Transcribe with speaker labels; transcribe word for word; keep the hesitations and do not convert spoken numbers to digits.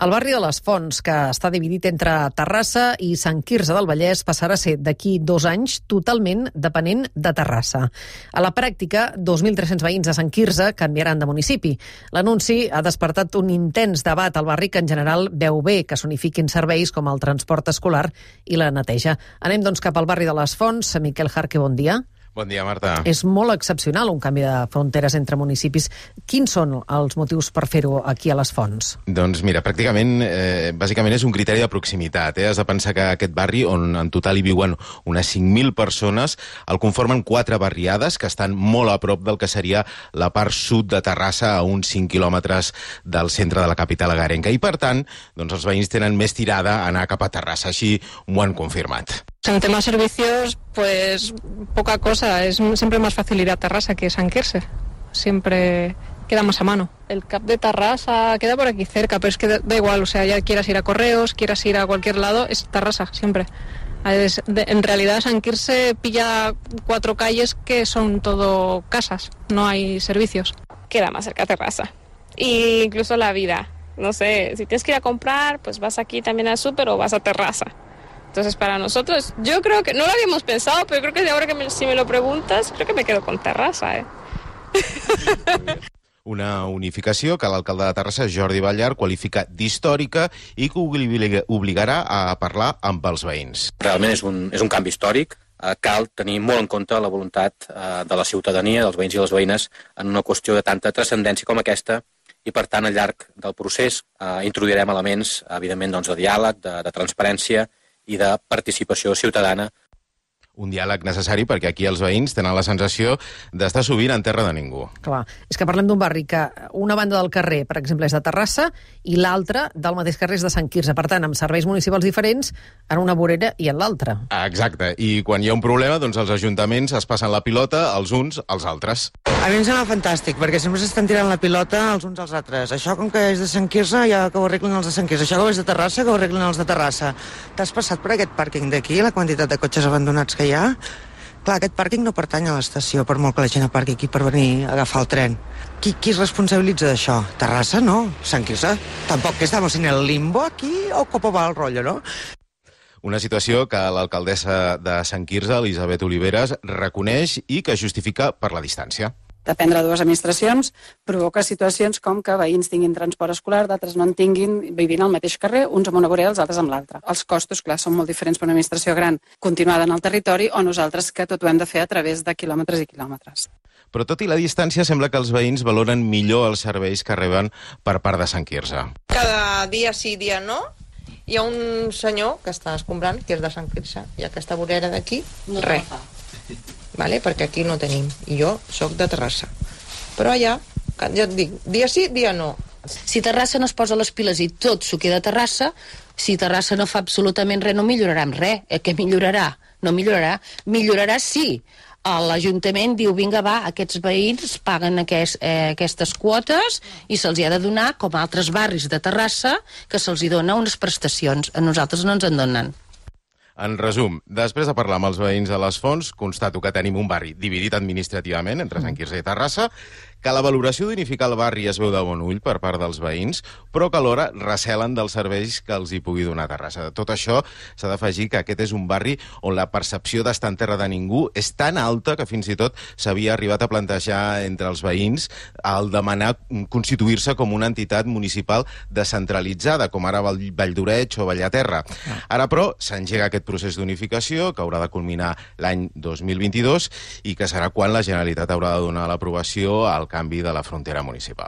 Speaker 1: El barri de les Fonts, que està dividit entre Terrassa i Sant Quirze del Vallès, passarà a ser d'aquí dos anys totalment depenent de Terrassa. A la pràctica, dos mil tres-cents veïns de Sant Quirze canviaran de municipi. L'anunci ha despertat un intens debat al barri que en general veu bé que s'unifiquin serveis com el transport escolar i la neteja. Anem doncs cap al barri de les Fonts. Miquel Jarque, bon dia.
Speaker 2: Bon dia, Marta.
Speaker 1: És molt excepcional un canvi de fronteres entre municipis. Quins són els motius per fer-ho aquí a les Fonts?
Speaker 2: Doncs mira, pràcticament, eh, bàsicament és un criteri de proximitat. Eh? Has de pensar que aquest barri, on en total hi viuen unes cinc mil persones, el conformen quatre barriades que estan molt a prop del que seria la part sud de Terrassa, a uns cinc quilòmetres del centre de la capital agarenca. I per tant, doncs els veïns tenen més tirada a anar cap a Terrassa, així m'ho han confirmat.
Speaker 3: En temas servicios, pues poca cosa. Es siempre más fácil ir a Terrassa que San Quirze. Siempre queda más a mano. El C A P de Terrassa queda por aquí cerca, pero es que da igual. O sea, ya quieras ir a Correos, quieras ir a cualquier lado, es Terrassa, siempre. Es, de, en realidad San Quirze pilla cuatro calles que son todo casas, no hay servicios.
Speaker 4: Queda más cerca Terrassa. Y incluso la vida. No sé, si tienes que ir a comprar, pues vas aquí también al súper o vas a Terrassa. Entonces, para nosotros, yo creo que, no lo habíamos pensado, pero creo que de ahora que me, si me lo preguntas, creo que me quedo con Terrassa, eh?
Speaker 2: Una unificació que l'alcalde de Terrassa, Jordi Ballar, qualifica d'històrica i que obliga, obligarà a parlar amb els veïns.
Speaker 5: Realment és un, és un canvi històric. Eh, cal tenir molt en compte la voluntat eh, de la ciutadania, dels veïns i les veïnes, en una qüestió de tanta transcendència com aquesta, i per tant, al llarg del procés, eh, introduirem elements, evidentment, doncs, de diàleg, de, de transparència i de participació ciutadana.
Speaker 2: Un diàleg necessari perquè aquí els veïns tenen la sensació d'estar sovint en terra de ningú.
Speaker 1: Clar, és que parlem d'un barri que una banda del carrer, per exemple, és de Terrassa i l'altra del mateix carrer és de Sant Quirze. Per tant, amb serveis municipals diferents en una vorera i en l'altra.
Speaker 2: Exacte, i quan hi ha un problema, doncs els ajuntaments es passen la pilota els uns als altres.
Speaker 6: A mi em sembla fantàstic, perquè sempre s'estan tirant la pilota els uns als altres. Això, com que és de Sant Quirze, ja que ho arreglen els de Sant Quirze. Això, que és de Terrassa, que ho arreglen els de Terrassa. T'has passat per aquest pàrquing d'aquí, la quantitat de cotxes abandonats que hi ha? Clar, aquest pàrquing no pertany a l'estació, per molt que la gent aparqui aquí per venir a agafar el tren. Qui, qui es responsabilitza d'això? Terrassa, no? Sant Quirze? Tampoc que estamos en el limbo aquí, o cómo va el rollo, no?
Speaker 2: Una situació que l'alcaldessa de Sant Quirze, Elisabet Oliveras, reconeix i que justifica per la distància.
Speaker 7: Dependre de dues administracions provoca situacions com que veïns tinguin transport escolar, d'altres no en tinguin, vivint al mateix carrer, uns amb una vorera, els altres amb l'altra. Els costos, clar, són molt diferents per una administració gran continuada en el territori o nosaltres que tot ho hem de fer a través de quilòmetres i quilòmetres.
Speaker 2: Però tot i la distància, sembla que els veïns valoren millor els serveis que reben per part de Sant Quirze.
Speaker 8: Cada dia sí, dia no. Hi ha un senyor que està escombrant, que és de Sant Quirze, i aquesta vorera d'aquí, no res. Vale? Perquè aquí no tenim, i jo sóc de Terrassa. Però allà, ja et dic, dia sí, dia no.
Speaker 9: Si Terrassa no es posa les piles i tot s'ho queda a Terrassa, si Terrassa no fa absolutament res, no millorarà en res. Eh, què millorarà? No millorarà. Millorarà sí. L'Ajuntament diu, vinga, va, aquests veïns paguen aquest, eh, aquestes quotes i se'ls hi ha de donar, com a altres barris de Terrassa, que se'ls hi dona unes prestacions. A nosaltres no ens en donen.
Speaker 2: En resum, després de parlar amb els veïns de les Fonts, constato que tenim un barri dividit administrativament entre Sant Quirze i Terrassa, que la valoració d'unificar el barri es veu de bon ull per part dels veïns, però que alhora recelen dels serveis que els hi pugui donar Terrassa. De tot això, s'ha d'afegir que aquest és un barri on la percepció d'estar en terra de ningú és tan alta que fins i tot s'havia arribat a plantejar entre els veïns el demanar constituir-se com una entitat municipal descentralitzada, com ara Vall d'Oreig o Bellaterra. Ara, però, s'engega aquest procés d'unificació, que haurà de culminar l'any dos mil vint-i-dos i que serà quan la Generalitat haurà de donar l'aprovació al canvi de la frontera municipal.